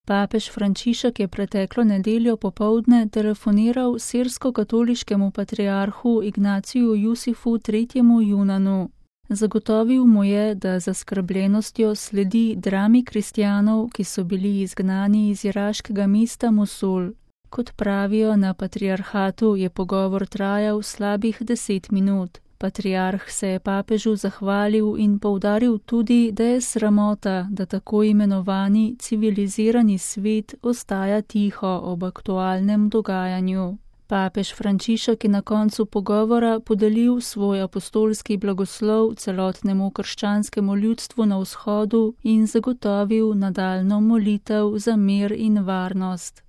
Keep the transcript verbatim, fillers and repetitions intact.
Papež Frančišek je preteklo nedeljo popoldne telefoniral sirsko-katoliškemu patriarhu Ignaciju Jusifu tretjemu Junanu. Zagotovil mu je, da zaskrbljenostjo sledi drami kristjanov, ki so bili izgnani iz iraškega mesta Mosul. Kot pravijo na patriarhatu, je pogovor trajal slabih deset minut. Patriarh se je papežu zahvalil in poudaril tudi, da je sramota, da tako imenovani civilizirani svet ostaja tiho ob aktualnem dogajanju. Papež Frančišek je na koncu pogovora podelil svoj apostolski blagoslov celotnemu krščanskemu ljudstvu na vzhodu in zagotovil nadaljnjo molitev za mir in varnost.